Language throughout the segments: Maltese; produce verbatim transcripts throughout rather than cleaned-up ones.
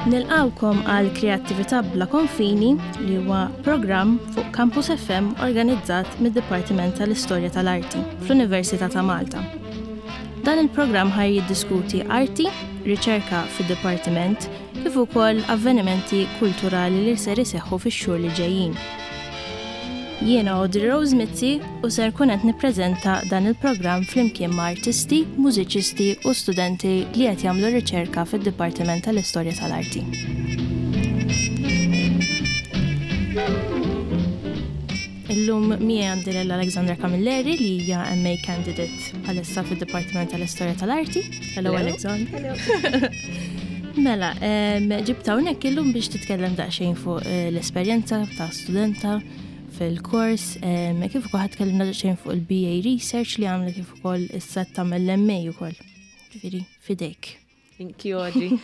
Nilqawkom għal Kreattività bla konfini li huwa programm fuq Campus FM organizzat mid-Dipartiment tal-Istorja tal-Arti fl-Università ta' Malta. Dan il-programm ħaj jiddiskuti arti, riċerka fid-dipartiment, kif ukoll avvenimenti kulturali li ser iseħħu fix-xhur li ġejjin. Jiena Audrey Rose Mizzi u ser kun qed nippreżenta dan il-programm flimkien ma' artisti, mużiċisti u studenti li qed jagħmlu riċerka fid-Dipartiment tal-Istorja tal-Arti. Illum miegħi għandi lil Alexandra Camilleri li hija MA candidate bħalissa fid-Dipartiment tal-Istorja tal-Arti. Hello Alexandra. Mela, em, ġibta hawnhekk illum biex titkellem daqsxejn fuq eh, l-esperjenza ta' studenta fil-kors, em, kif ukoll ħa daqsxejn fuq il-BA Research li għamlet kif ukoll issa tagħmel l-MA ukoll. Ġifieri fidejk. Thank you, Audrey.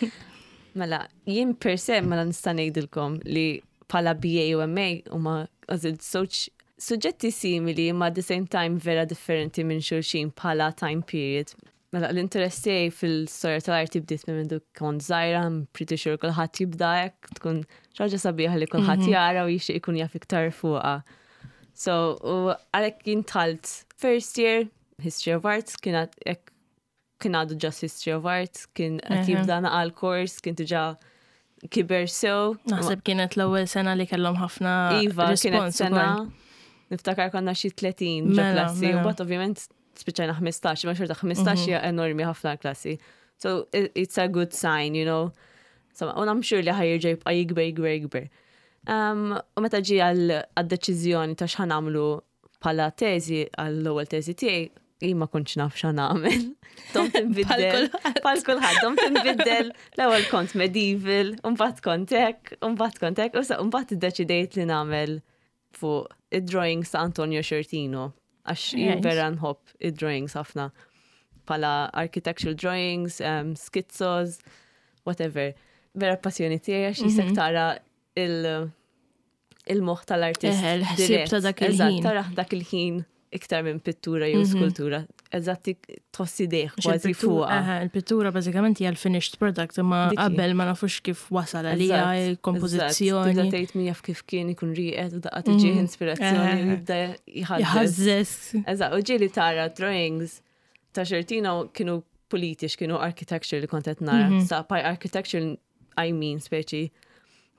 Mela, jien per se mela nista' ngħidilkom li bħala BA u MA huma għażilt żewġ suġġetti simili ma at the same time vera differenti minn xulxin bħala time period. Mela, l-interess tiegħi fil-storja tal-arti bdiet minn mindu kont żgħira, I'm pretty sure kulħadd jibda hekk, tkun xi ħaġa sabiħa li kulħadd jara u jixtieq ikun jaf iktar fuqha. So, u għalhekk jien dħalt first year, History of Arts, kienet hekk kien għadu just History of Art, kien qed jibda naqal kors, kien diġà kiber sew. Naħseb kienet l-ewwel sena li kellhom ħafna Iva, kienet respons sena, ukoll. niftakar konna xi tletin ġo Mela, klassi, u mela. bat ovvjament spiċċajna ħmistax, ma xorta ħmistax hija enormi ħafna klassi. So it- it's a good sign, you know. So, u I'm sure li ħa jerġa' jibqa' jikber, jikber, jikber. Um, u meta ġi għal-deċiżjoni ta' x'ħa nagħmlu bħala teżi, għall-ewwel teżi tiegħi, jien ma kontx naf x'ħa nagħmel. Domt inbiddel. Bħal kulħadd, domt inbiddel. L-ewwel kont medieval, u mbagħad kont hekk, u mbagħad kont hekk, u sa mbagħad iddeċidejt li nagħmel fuq id-drawings ta' Antonio Sciortino, għax jien Right. vera nħobb id-drawings ħafna. Bħala architectural drawings, um, skizzos, whatever. Vera passjoni tiegħi għax jisek tara il- il-moħħ tal-artist. Eħe, l-ħsieb dirett. ta' dak Eżatt, il-ħin. tara dak il-ħin iktar minn pittura jew skultura. Eżatt, tħossi deħ Għax kważi il-pittura- fuqha. eħe, Il-pittura bażikament hija l-finished product imma Dik hi. qabel ma nafux kif wasal għalija Eżatt, il-kompożizzjoni. eżatt. Tibda tgħid min jaf kif kien ikun rieqed u daqqa tiġih inspirazzjoni u Eħe. jibda jħażżeż. Jħażżeż. Eżatt, u ġieli tara drawings ta' Sciortino kienu politiċ, kienu architecture li kont qed nara. Sa by architecture, I mean speċi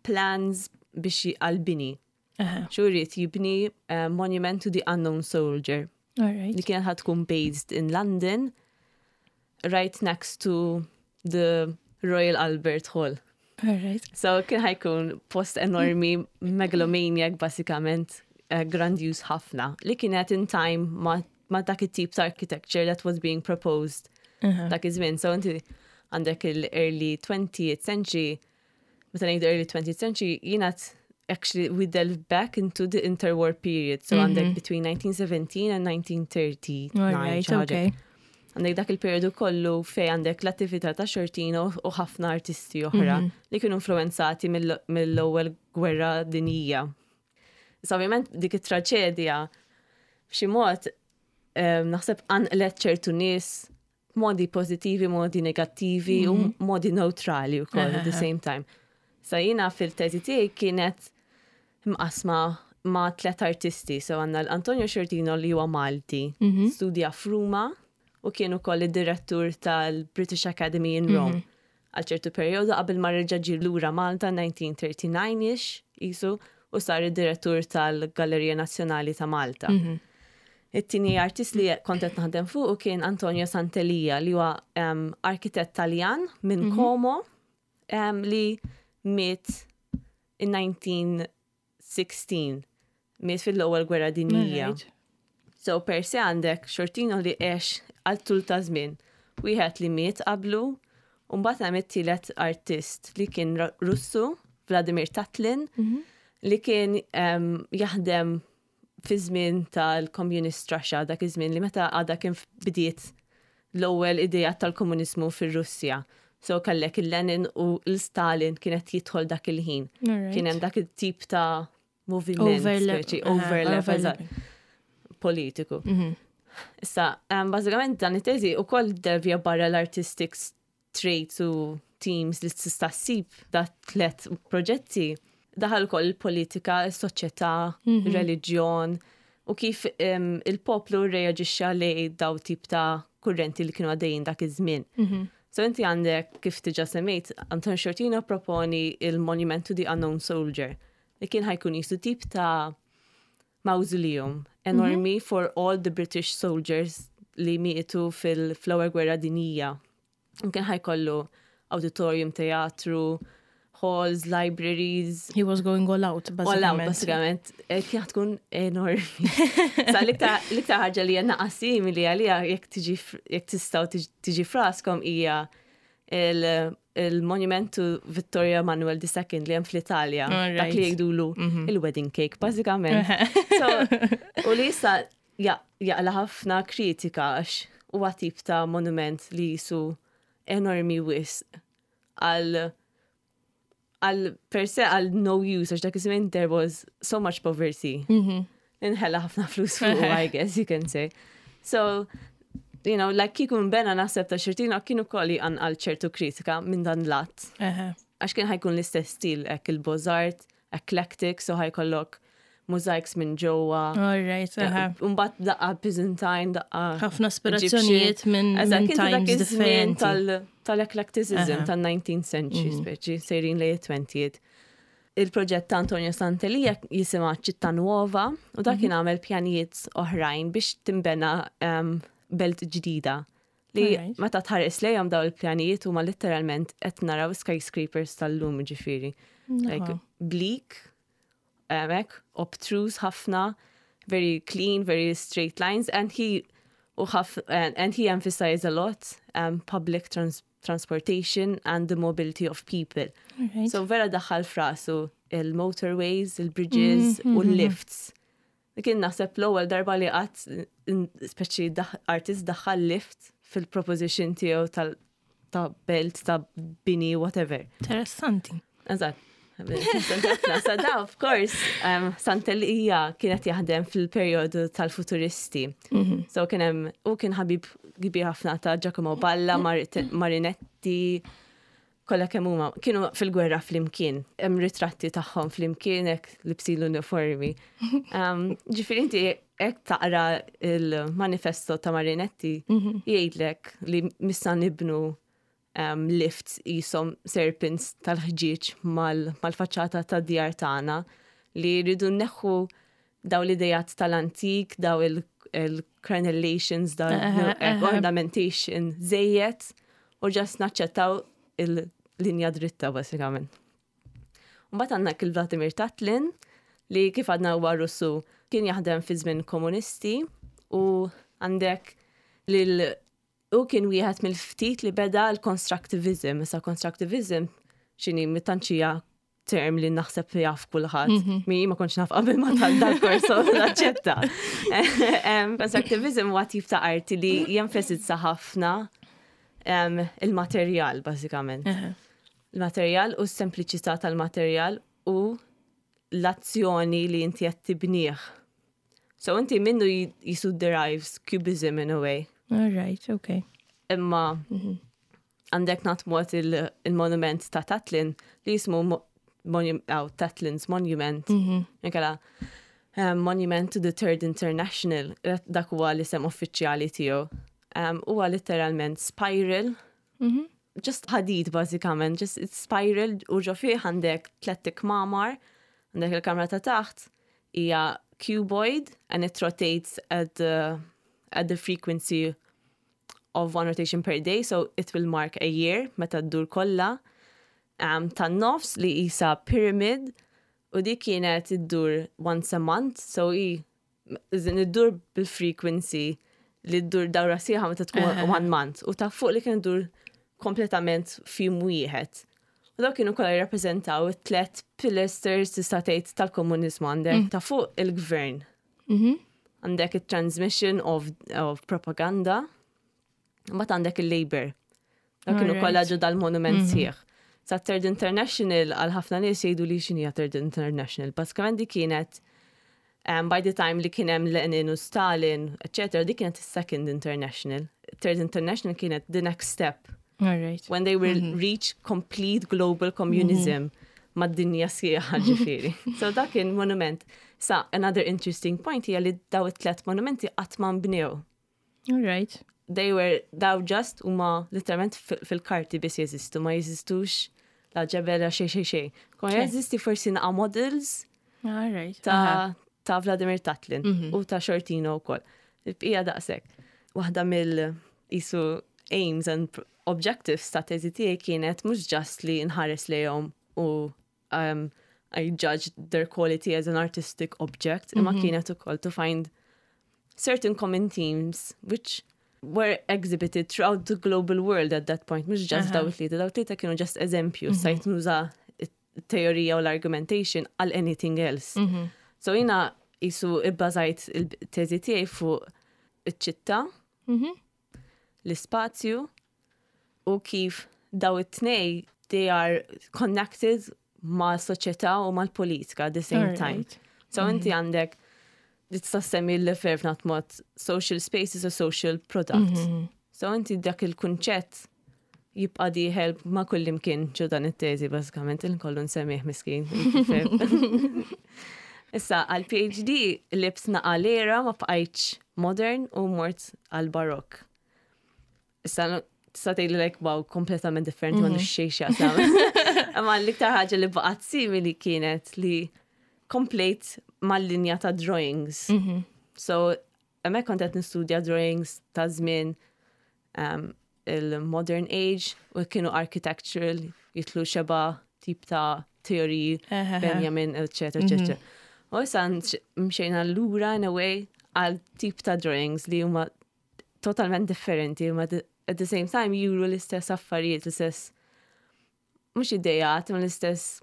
plans biex għal-bini. Eħe. Xuriet jibni uh, Monument to the Unknown Soldier All right. li kienet ħa tkun based in London, right next to the Royal Albert Hall. All right. So kien ħa jkun post enormi, megalomaniac basikament, uh, grandiose ħafna, li kienet in time ma, ma dak it-tip ta' architecture that was being proposed Eħe. dak iż-żmien. So inti għandek il-early twentieth century, meta ngħidu early twentieth century, jiena actually we delve back into the interwar period. So għandek between nineteen seventeen and nineteen thirty-nine. All right, xi ħaġa. okay. Għandek dak il-periodu kollu fej għandek l-attività ta' Sciortino u ħafna artisti oħra li kienu influenzati mill- mill-ewwel gwerra dinjija. So ovvjament dik it-traġedja b'xi mod em, naħseb qanqlet ċertu nies modi pozittivi, modi negattivi u modi neutrali wkoll at the same time. Sa jiena fil-teżi tiegħi kienet mqasma ma' tlet artisti. So għandna l-Antonio Sciortino li huwa Malti, studja f'Ruma u kien ukoll id-direttur tal-British Academy in Rome. Għal ċertu periodu qabel ma reġa' ġie lura Malta nineteen thirty-nine-ish isu u sar id-direttur tal-Gallerija Nazzjonali ta' Malta. It-tieni artist li kont qed naħdem fuq u kien Antonio Sant'Elia li huwa um, arkitett Taljan minn Como um, li miet in nineteen sixteen. Miet fil-ewwel gwerra dinjija. Alright. So per se għandek Sciortino li għex għal tul ta' żmien. Wieħed li miet qablu, u mbagħad hemm it-tielet artist li kien Ru- Russu, Vladimir Tatlin, li kien um, jaħdem fi żmien tal-Communist Russia, dak iż-żmien li meta għadha kien bdiet l-ewwel idea tal-komuniżmu fir-Russja. So kellek il-Lenin u l-Stalin kienet jidħol dak il-ħin. Kien hemm dak it-tip ta' moviment, Overlap. speċi, Aha, overlap, eżatt, overlapping. politiku. Mhm. Issa, um, bażikament dan it-teżi ukoll devja barra l-artistic traits u themes li tista' ssib da tlet proġetti daħal ukoll il-politika, is-soċjetà, Mhm. reliġjon u kif um, il-poplu reaġixxa lej daw tip ta' kurrenti li kienu għaddejjin dak iż-żmien. Mhm. So inti għandek kif diġà semmejt, Anton Sciortino proponi il-Monument to the Unknown Soldier li kien ħa jkun qisu tip ta' mausoleum enormi for all the British soldiers li mietu fil-Ewwel Gwerra Dinjija. U kien ħa jkollu auditorium, teatru, halls, libraries, He was going all out, all out, bażikament. basikament. Eh, Kien tkun enormi. Sa l-iktar l-iktar ħaġa li għanna simili għalija jekk tiġi jekk tistgħu tiġi- tiġi f'raskom hija il- il-monument to Vittorio Emanuel the Second li hemm fl-Italja. All Dak li right. jgħidulu il-wedding cake, bażikament. So, u li issa ja- jaqla ħafna kritika għax huwa tip ta' monument li qisu enormi wisq għal għal per se għal no use, għax dak iż-żmien there was so much poverty. Mhm. Inħella ħafna flus fuq, I guess you can say. So, you know, like kieku nbena naħseb ta' Sciortino kienu kolli għal ċertu kritika minn dan lat. Eħe. Għax kien ħa jkun l-istess stil, hekk il-Beaux-Arts, eclectic, so ħa jkollok mosaics minn ġewwa. All right, eħe. Umbagħad daqqa Byzantine, daqqa Ħafna ispirazzjonijiet minn Eżatt, minn kien ta' dak times iż-żmien differenti. tal- tal-eclecticism Aha. tal-nineteenth century, speċi, sejrin lejn it-twentieth. Il-proġett ta' Antonio Sant'Elia jisimha Città Nuova u dak kien għamel pjanijiet oħrajn biex timbena um, belt ġdida. Li Alright. meta tħares lejhom daw il-pjanijiet huma literalment qed naraw skyscrapers tal-lum, ġifieri. Like bleak, hekk, obtruse ħafna, very clean, very straight lines, and he u ħaf, and, and he emphasized a lot um, public trans transportation and the mobility of people. Alright. So vera daħħal f'rasu il-motorways, il-bridges u l-lifts. Li kien naħseb l-ewwel darba li qatt speċi artist daħħal lift fil-proposition tiegħu tal ta' belt, ta' bini, whatever. Interessanti. Eżatt. Sa da, of course, um, Sant'Elia kienet jaħdem fil-periodu tal-futuristi. So kien hemm u kien ħabib kbir ħafna ta' Giacomo Balla, Mar Marinetti, kollha kemm huma kienu fil-gwerra flimkien. Hemm ritratti tagħhom flimkien hekk libsin l-uniformi. Um, Ġifieri inti hekk taqra il-manifesto ta' Marinetti, jgħidlek li missa nibnu um, lifts qishom serpents tal-ħġieġ mal-faċċata ta' djar tagħna, li rridu neħħu daw l-idejat tal-antik, daw il-crenellations, daw ornamentation żejjed u just naċċettaw il-linja dritta basikament. Mbagħad għandna il-Vladimir Tatlin li kif għadna huwa Russu, kien jaħdem fi żmien komunisti u għandek lil u kien wieħed mill-ftit li beda l-constructivism. Issa constructivism x'inhi mittanċija term li naħseb jaf kulħadd. Mi ma kontx naf qabel ma tal dal-kors, naċċetta. Constructivism huwa tip ta' arti li jenfasizza ħafna il-materjal bażikament. Il-materjal u s-sempliċità tal-materjal u l-azzjoni li inti qed tibnieh. So inti minnu qisu derives cubism in a way. All right, okay. Imma għandek natmot il-monument ta' Tatlin li jismu Tatlin's Monument. Nkella um, Monument to the Third International, dak huwa l-isem uffiċjali tiegħu. Um, huwa literalment spiral, just ħadid bażikament, just it's spiral u ġo fih għandek tliet kmamar, għandek il-kamra ta' taħt hija cuboid and it rotates at the, at the frequency of one rotation per day, so it will mark a year meta ddur kollha. Um, tan-nofs li qisha pyramid u dik kienet iddur once a month, so i iddur bil-frequency li ddur dawra sħiħa meta tkun one month u ta' fuq li kien iddur kompletament f'jum wieħed. U dawk kienu kollha jirrappreżentaw it-tlet pilasters tista' tgħid tal-komuniżmu. Għandek ta' fuq il-gvern. Mhm. Għandek il-transmission of, of propaganda, mbagħad għandek il-labor. Dak kienu Alright. kollha ġo dal-monument sħiħ. Sa Third International, għal ħafna nies jgħidu li x'inhi Third International. Basikament di kienet um, by the time li kien hemm Lenin u Stalin, etc., di kienet is-Second International. Third International kienet the next step All right. when they will reach complete global communism mad-dinja sħiħa ġifieri. So dak kien monument. Sa, another interesting point hija li daw it-tlet monumenti qatt ma nbnew. All right. They were daw just huma literalment fil- fil-karti biss jeżistu, ma jeżistux la ġebel la xej xej xej. Kon Okay. jeżisti forsi naqa models All right. ta' ta' Vladimir Tatlin u ta' Sciortino u koll. Il-bqija daqshekk. Waħda mill isu aims and pr- objectives ta' teżi tiegħi kienet mhux just li nħares lejhom u um, I judged their quality as an artistic object, imma kienet ukoll to find certain common themes which were exhibited throughout the global world at that point, mhux just daw it-tlieta, daw it-tlieta kienu just eżempju, stajt nuża it-teorija u l-argumentation għal anything else. So jiena isu ibbażajt il-teżi tiegħi fuq iċ-ċittà, Mhm. l-ispazju u kif daw it-tnej they are connected ma' soċjetà u mal-politika at the same time. Alright. So inti għandek tista' semmi l-Lefebvre b'mod social space is a social product. So inti dak il-kunċett jibqa dieħel ma' kullimkien ġo dan it-teżi bażikament il-kollu nsemmih miskin. Lefebvre. Issa għal PhD qlibt naqa l-era ma bqajtx modern u mort għal barok. Issa tista' tgħidli like wow kompletament differenti m'għandu xejn x'jaqsam. Imma l-iktar ħaġa li baqgħet simili kienet li komplejt mal-linja ta' drawings. So, hemmhekk kont qed nistudja drawings ta' żmien um, il-modern age u kienu architectural, jitlu xeba tip ta' teoriji, Benjamin, etc. etc. U issa mxejna lura in a way għal tip ta' drawings li huma totalment differenti, huma at the same time juru l-istess affarijiet, l-istess mhux idejat, ma l-istess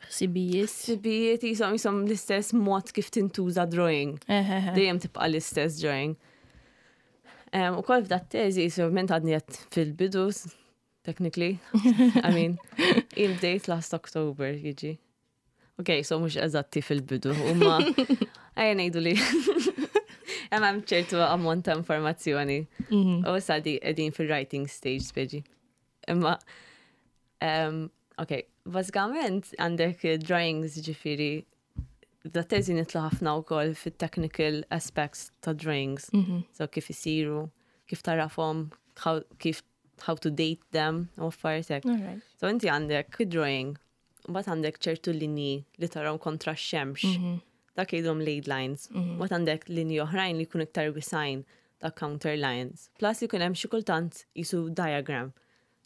Ħsibijiet. ħsibijiet jisom jisom l-istess mod kif tintuża drawing. Dejjem tibqa l-istess drawing. Um, u koll f'da teżi, so ment għadni għad fil-bidu, technically. I mean, il-date last October jiġi. Ok, so mhux eżatti fil-bidu, umma ejja ngħidu li hemm ċertu ammont ta' informazzjoni. U issa di qegħdin fil-writing stage speċi. Imma, um, ok, bażikament għandek drawings ġifieri, da teżi nidħlu ħafna wkoll fit-technical aspects ta' drawings. So kif isiru, kif tarafhom, how, kif how to date them, u affarijiet hekk. All right. So inti għandek drawing, u mbagħad għandek ċertu linji li tarawhom kontra x-xemx. Dak jgħidhom lead lines. Mbagħad għandek linji oħrajn li jkunu iktar wisgħin, ta' counter lines. Plus jkun hemm xi kultant jisu diagram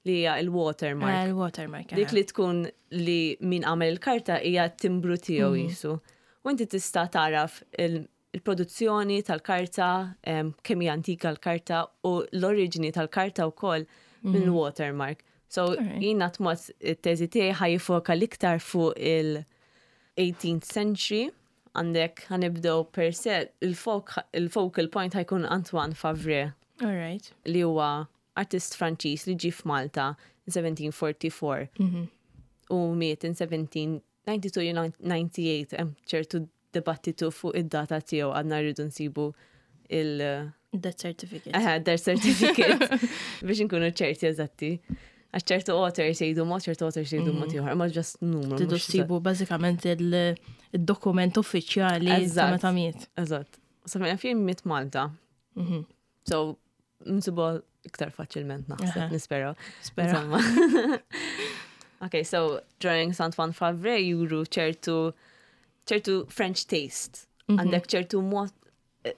li hija il-watermark. Il-watermark. Dik li tkun li min għamel il-karta hija timbru tiegħu jisu. U inti tista' taraf il- il-produzzjoni tal-karta, em, kemm hija antika l-karta u l-oriġini tal-karta wkoll minn watermark. So Alright. jiena tmot it-teżi tiegħi ħa jiffoka l-iktar fuq il-eighteenth century għandek ħa nibdew per se il-focal point ħa jkun Antoine Favre All right. li huwa artist Franċiż li ġie f'Malta in seventeen forty-four u miet in seventeen ninety-two jew ninety-eight, hemm ċertu dibattitu fuq id-data tiegħu, għadna rridu nsibu il- Death certificate. Aha, death certificate biex nkunu ċerti eżatti. Għax ċertu authors jgħidu mod, ċertu authors jgħidu mod ieħor, ma just numru. Tridu mhux ssibu bażikament il-dokument uffiċjali ta' Eżatt. meta miet. Eżatt. Sa fejn fin miet Malta. Mhm. So, nsibu iktar faċilment naħseb, Aha. nispera. Spera. Insomma. Okay, so drawings Antoine Favre juru ċertu ċertu French taste. Għandek ċertu mod eh,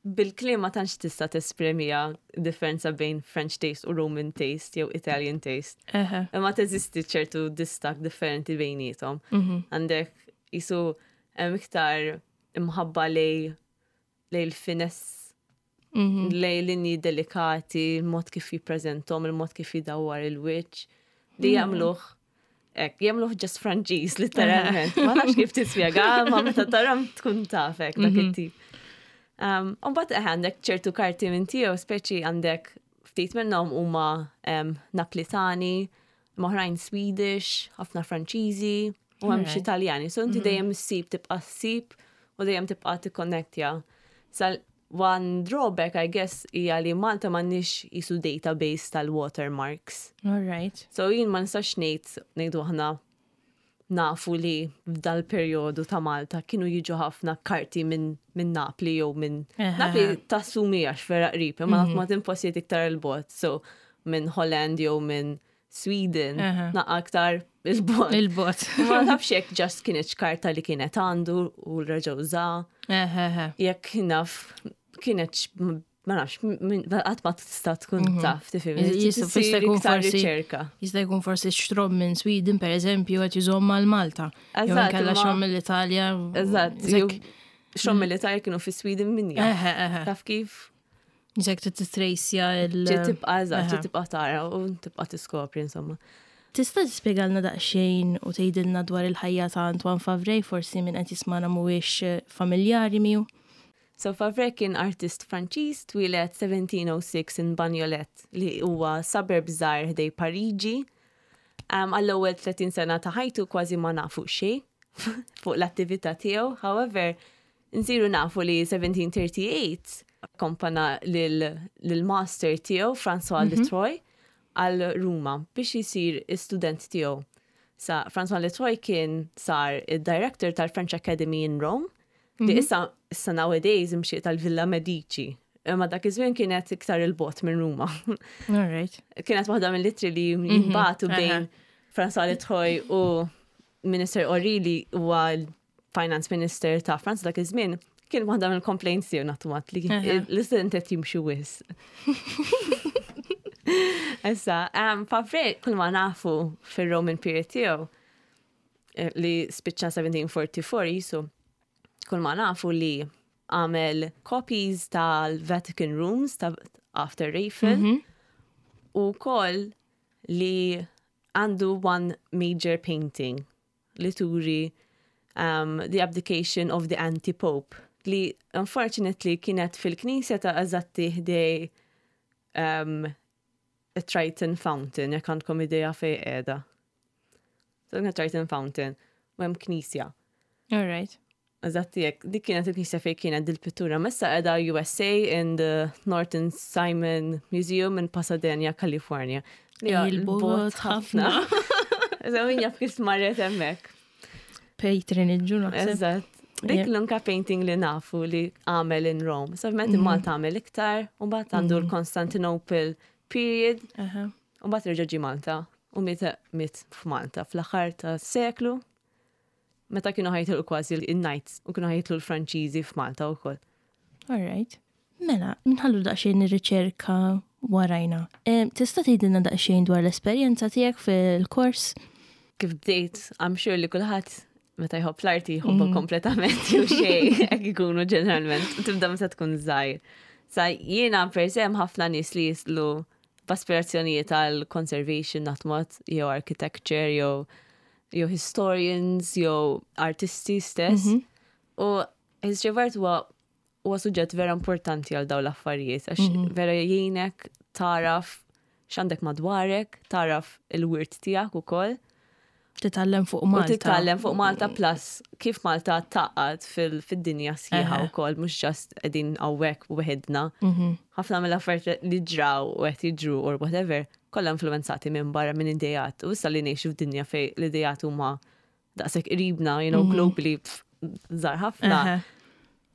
bil-kliem ma tantx tista' tesprimiha differenza bejn French taste u Roman taste jew Italian taste. Eħe. Imma teżisti ċertu distak differenti bejnietom. Għandek jisu hemm iktar imħabba lej lej il-finesse, Mhm. lej linji delikati, il-mod kif jippreżentom, il-mod kif jidawwar il-wiċċ, li jagħmluh hekk, jagħmluh just Franċiż, literalment. Ma nafx kif tispjega, ma meta taram tkun tafek dak it-tip. Um, Umbagħad għandek ċertu karti minn tiegħu, speċi għandek ftit minnhom huma um, Naplitani, oħrajn Swedish, ħafna Franċiżi, u hemm xi Taljani. So inti dejjem ssib tibqa' ssib u dejjem tibqa' tikkonnettja. Sa one drawback, I guess, hija li Malta m'għandniex jisu database tal-watermarks. All right. So jien ma nistax ngħid ngħidu aħna nafu li f'dal perjodu ta' Malta kienu jiġu ħafna karti minn min Napli jew minn Napli tassumi għax vera qrib, imma mm -hmm. ma postijiet iktar il-bogħod. So minn Holland jew minn Sweden, naqra aktar il-bogħod. Il-bogħod. Ma nafx jekk just kienet karta li kienet għandu u reġa' uża. Jekk naf kienet ma nafx, qatt ma tista' tkun mhm. taf, tifhem. Jista' jkun forsi riċerka. Jista' jkun forsi xtrom minn Sweden, per eżempju, qed jużhom mal-Malta. Jew inkella xtrom mill-Italja. Eżatt. Xtrom mill-Italja kienu fi Sweden minn Taf kif? Jisek titrejsja il- Tibqa' eżatt, tibqa' tara u tibqa' tiskopri insomma. Tista' tispjegalna daqsxejn u tgħidilna dwar il-ħajja ta' Antoine Favre, forsi min qed jismana mhuwiex familjari miegħu? So Favre kien artist Franċiż, twieled seventeen oh six in Bagnolet, li huwa suburb żgħir ħdejn Pariġi. Um, Għall-ewwel tletin sena ta' ħajtu kważi ma nafu xejn fuq l-attività tiegħu. However, nsiru nafu li seventeen thirty-eight akkompana lil-master tiegħu François mm -hmm. Letoy għal Ruma biex jisir student tiegħu. Sa François Letoy kien sar id-director tal-French Academy in Rome li mhm. issa issa nowadays imxiet tal-Villa Medici. Imma dak iż-żmien kienet iktar il-bogħod minn Ruma. All right. Kienet waħda mill-ittri li mhm. jinbagħtu bejn François Letoy u Minister Orry, li huwa l-Finance Minister ta' Franza dak iż-żmien, kien waħda mill-complaints tiegħu nattumat li l-istudent qed jimxi wisq. Issa, um, Favre kull ma nafu fir-Roman period tiegħu eh, li spiċċa seventeen forty-four jisu, kull ma nafu li għamel copies tal-Vatican Rooms ta' after Raphael mm -hmm. u koll li għandu one major painting li turi um, the abdication of the anti-pope, li unfortunately kienet fil-knisja ta' eżatti ħdejn um, Triton Fountain, jekk għandkom idea fej qiegħda. So, Triton Fountain, u hemm knisja. All right. Eżatt jekk, dik kienet il-knisja fej kienet dil-pittura. Issa qiegħda U S A in the Norton Simon Museum in Pasadena, California. Il-bogħod ħafna. Eżatt, min jaf kif marret hemmhekk. Patronage, naħseb. Eżatt. Dik l-unika painting li nafu li għamel in Rome. So, ovvjament mm Malta għamel iktar, u mbagħad għandu mhm. l-Constantinople period, u mbagħad reġa' ġie Malta, u miet miet f'Malta fl-aħħar ta' seklu, meta kienu ħa jitilqu kważi il-Knights u kienu ħa jitilqu l-Franċiżi f'Malta wkoll. All right. Mela, nħallu daqsxejn ir-riċerka warajna. Tista' tgħidilna daqsxejn dwar l-esperjenza tiegħek fil-kors? Kif bdejt, I'm sure li kulħadd meta jħobb l-arti jħobbu mm. kompletament jew xejn, hekk ikunu ġeneralment, tibda meta tkun żgħir. Sa jiena per se ħafna nies li jislu b'aspirazzjonijiet għal conservation natmot, jew architecture, jew jew historians, jew artisti stess. Mm -hmm. U history of art huwa huwa suġġett vera importanti għal dawn l-affarijiet, għax mm -hmm. vera jgħinek taraf x'għandek madwarek, taraf il-wirt tiegħek ukoll. Titgħallem fuq Malta. U titgħallem fuq Malta plus kif Malta taqgħad fil-dinja sħiħa wkoll, mhux just qegħdin hawnhekk weħidna. Mhm. Ħafna mill-affarijiet li ġraw u qed jiġru or whatever, kollha influenzati minn barra, minn idejat. U issa li ngħixu f'dinja fej l-idejat huma daqshekk qribna, you know, mhm. globally żgħar ħafna,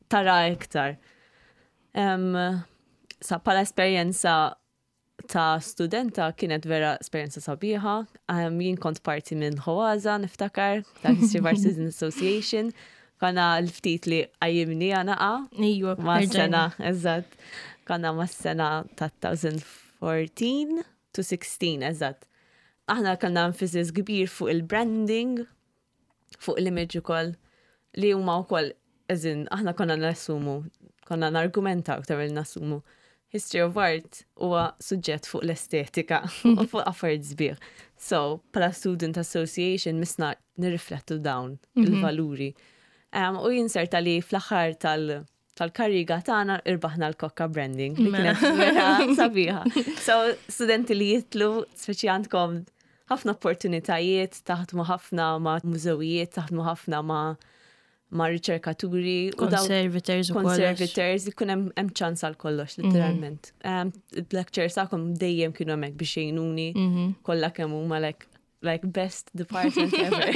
tara iktar. Um, sa bħala esperjenza ta' studenta kienet vera esperjenza sabiħa. Um, jien kont parti minn HOASA, niftakar, ta' History of Art Student Association. Konna l-ftit li għajimni għanaqa. Ijwa. Ma' sena, eżatt. Konna ma' sena ta' twenty fourteen to sixteen, eżatt. Aħna kellna emphasis kbir fuq il-branding, fuq l-image ukoll, li huma wkoll, eżin, aħna konna nassumu, konna nargumenta aktar mill nassumu. History of art huwa suġġett fuq l-estetika u fuq affarijiet sbieħ. So, bħala Student Association missna nirriflettu dawn mhm. il-valuri. Um, u jinserta li fl-aħħar tal- Tal-kariga tagħna irbaħna l-Kokka Branding li Mela. kienet vera sabiħa. So, studenti li jidħlu, speċi għandkom ħafna opportunitajiet, taħdmu ħafna ma' mużewijiet, taħdmu ħafna ma' ma' riċerkaturi. u daw- Conservators u kollox. Conservators, ikun hemm hemm ċans għal kollox, literalment. Um, Lectures tagħkom dejjem kienu hemmhekk biex jgħinuni, kollha kemm huma like like best department ever.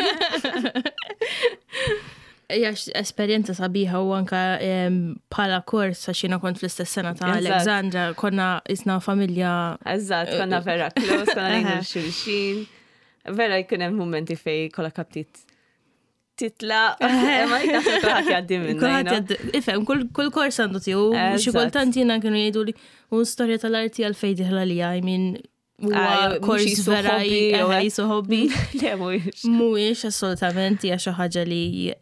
Hija esperjenza sabiħa u anka em, bħala kors għax jiena kont fl-istess sena ta' Eżatt. Alexandra, konna isna familja. Eżatt, konna vera close, konna ngħinu xulxin. Vera jkun hemm momenti fej kollha kaptit titla, ma naħseb kulħadd jgħaddi minna. you Kulħadd know? jgħaddi- Ifhem, kull kull kors għandu tiegħu, xi Eżatt. kultant jiena kienu jgħidu li u storja tal-arti għalfejn dieħla li I mean huwa Ah, mhux kors jisu vera hobby, jew eħe, hekk. jisu hobby. Le, mhuwiex. Mhuwiex assolutament hija xi ħaġa li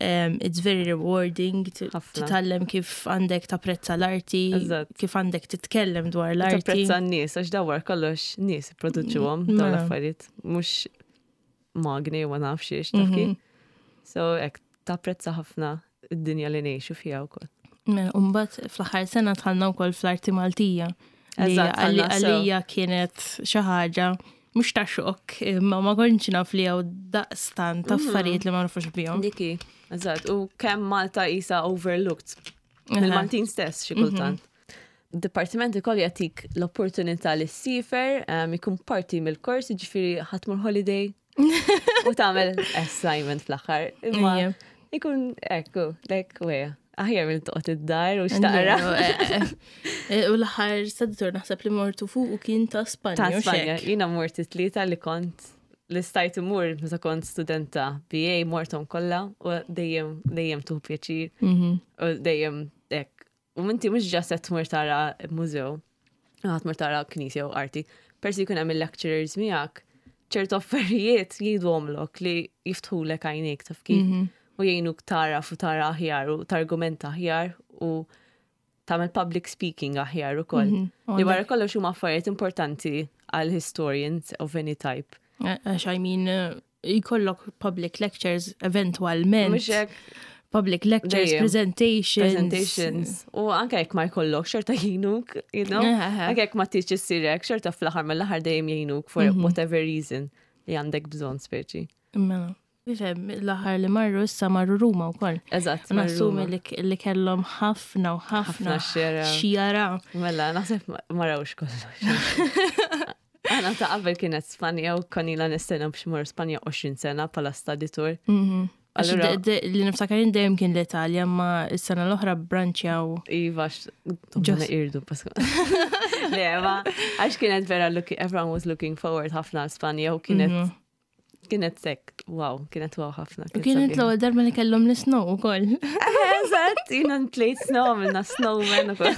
um, it's very rewarding t- Ħafna. titgħallem kif għandek tapprezza l-arti, Eżatt. kif għandek titkellem dwar l-arti. Tapprezza n-nies, għax dawar kollox nies produċuhom dawn Mela. l-affarijiet, mhux magni u ma nafx ix, taf kif? So, hekk, tapprezza ħafna id-dinja li ngħixu fiha wkoll. Mela, Umbagħad fl-aħħar sena dħalna wkoll fl-arti Maltija. Li Eżatt, għalli- dħalna sew. għalija kienet xi ħaġa mhux ta' xokk, imma ma kontx naf li hawn daqstant Mhm. affarijiet li ma nafux bihom. Diki, eżatt, u kemm Malta isa overlooked mill-Maltin stess xi kultant. Dipartiment ukoll jagħtik l-opportunità li ssifer, um, ikun parti mill-kors, jiġifieri ħa tmur holiday u tagħmel assignment fl-aħħar. Imma Ejja. ikun ekku, like weja. Aħjar minn toqgħod id-dar u xtaqra. Eh, U l-aħħar study tour naħseb li mortu fuq u kien ta' Spanja. Ta' u Spanja. xek. Jiena mort it-tlieta li kont li stajt imur meta kont studenta B A morthom kollha u dejjem dejjem tieħu pjaċir Mhm. u dejjem hekk. U minti mhux just qed tmur tara mużew, ħa tmur tara knisja u arti. Persi jkun hemm il-lecturers miegħek, ċertu affarijiet jgħiduhomlok li jiftħulek għajnejk, taf kif, Mhm. u jgħinuk tara u tara aħjar u targumenta aħjar u tagħmel public speaking aħjar ukoll. Mhm. U Li wara kollox huma affarijiet importanti għal historians of any type. Għax I mean, eh, jkollok public lectures eventualment. Mhux hekk. Public lectures, Dejjem. presentations. Presentations. U anke jekk ma jkollok xorta jgħinuk, you know? Eħe. Anke jekk ma tridx issirek, xorta fl-aħħar mill-aħħar dejjem jgħinuk for whatever reason li għandek bżonn speċi. Mela. Ifhem, l-aħħar li marru issa marru Ruma wkoll. Eżatt, U Nassumi marru li, li kellhom ħafna u ħafna Ħafna x'jaraw. x'jaraw. Mela, naħseb ma ma rawx kollox. Għana ta' qabel kienet Spanja u konila nistenna biex mor Spanja għoxrin sena bħala study tour. Mhm. Għax Allura- de- de- li niftakar dejjem kien l-Italja, ma s-sena l-oħra branċjaw. Iva, Just- ġos. Irdu, Pascal. Le, ma, għax kienet vera, looking, everyone was looking forward ħafna għal Spanja u kienet, kienet sekk, wow, kienet wow ħafna. U kienet sabiħa. l-ewwel darba li kellhom l-snow ukoll. Eżatt, jiena ntlejt snow, għamilna snowman u koll.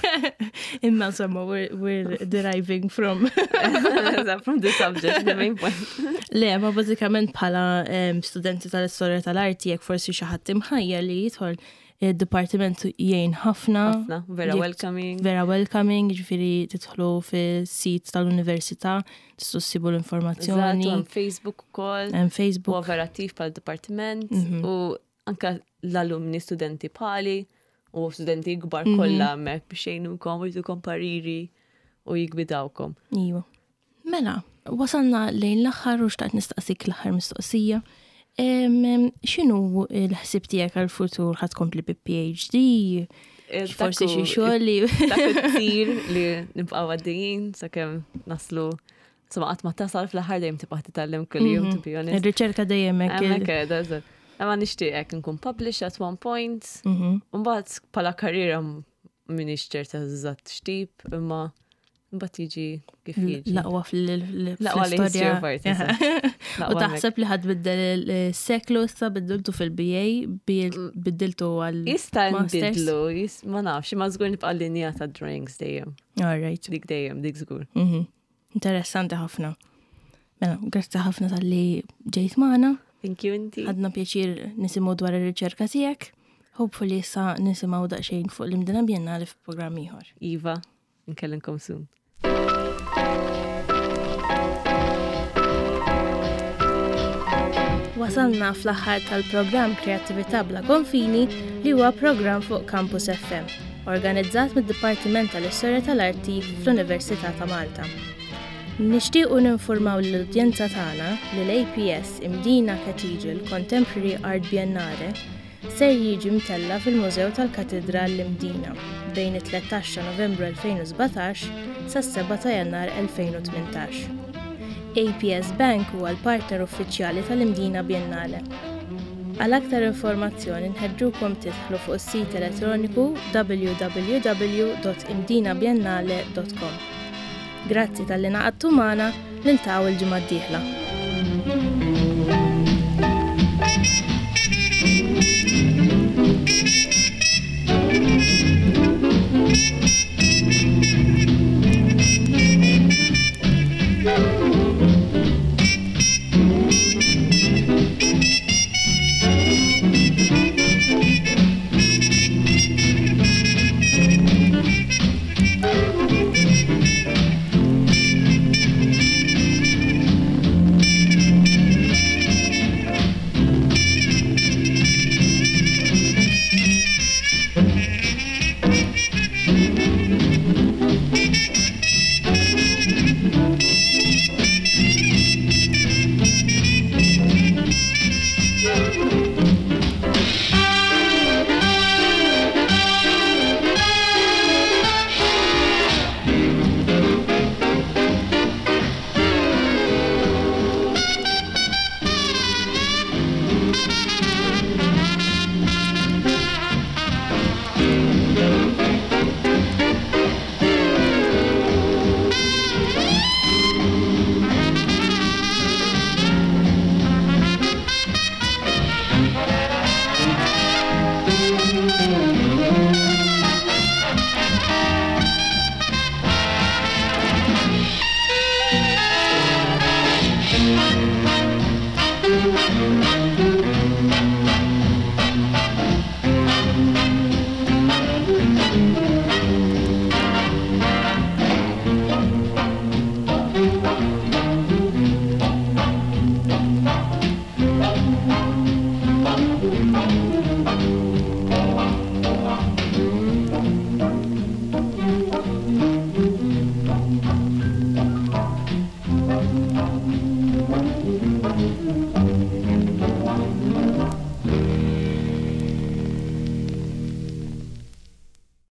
Imma insomma, we're, we're deriving from. Eżatt, from the subject, the main point. Le, ma bażikament bħala em, studenti tal-istorja tal-arti, jekk forsi xi ħadd imħajja li jidħol id-dipartiment jgħin ħafna. Ħafna, vera Jekk- welcoming. Vera welcoming, ġifieri tidħlu fis-sit tal-università, tistgħu ssibu Eżatt, u l-informazzjoni. hemm Facebook ukoll. Hemm U Facebook. vera attiv pal dipartiment u anka l-alumni studenti pali u studenti kbar kollha hemmhekk biex jgħinukom u jtukom pariri u jiggwidawkom. Iva. Mela, wasalna lejn l-aħħar u xtaqt nistaqsik l-aħħar mistoqsija. Em, em, X'inhu l-ħsib tiegħek għal-futur, ħa tkompli bi P H D? Forsi xi xogħol li Dak it-tir li nibqgħu għaddejjin sakemm naslu. Insomma, qatt ma tasal fl-aħħar, dejjem tibqa' titgħallem kuljum, to be honest. Ir-riċerka dejjem hekk. il- Hemmhekk qiegħda, eżatt. Imma nixtieq nkun published at one point. Mhm. Mbagħad bħala karriera m'iniex ċerta eżatt x'tip, imma mbagħad jiġi kif jiġi. L-aqwa L-aqwa li history fl-istorja. of art, eżatt. U L-aqwa hemmhekk. taħseb li ħa tbiddel il-seklu issa, biddiltu fil-B A, biddiltu għal Jista' Masters? nbidlu, jis- ma nafx, ma żgur nibqa' linja ta' drawings dejjem. All right. Dik dejjem, dik żgur. Mhm. Interessanti ħafna. Mela, grazzi ħafna talli ġejt magħna. Thank you inti. Ħadna pjaċir nisimgħu dwar ir-riċerka tiegħek. Hopefully issa nisimgħu daqsxejn fuq l-Imdina Biennale f'programm ieħor. Iva, nkellimkom soon. Wasalna fl-aħħar tal-programm Kreattività bla konfini li huwa programm fuq Campus F M. organizzat mid-Dipartiment tal-Istorja tal-Arti fl-Università ta' Malta. Nixtiequ ninformaw l-udjenza tagħna li l-A P S Imdina Cathedral Contemporary Art Biennale ser jiġi mtella fil-Mużew tal-Katedral l-Imdina bejn it-tlettax ta' Novembru elfejn u sbatax sas-sebgħa ta' Jannar elfejn u tmintax. A P S Bank huwa l-partner uffiċjali tal-Imdina Biennale. Għal aktar informazzjoni nħeġġukom tidħlu fuq is-sit elettroniku W W W punt imdinabiennale punt com. Grazzi talli ngħaqadtu magħna, niltaqgħu il-ġimgħa d-dieħla.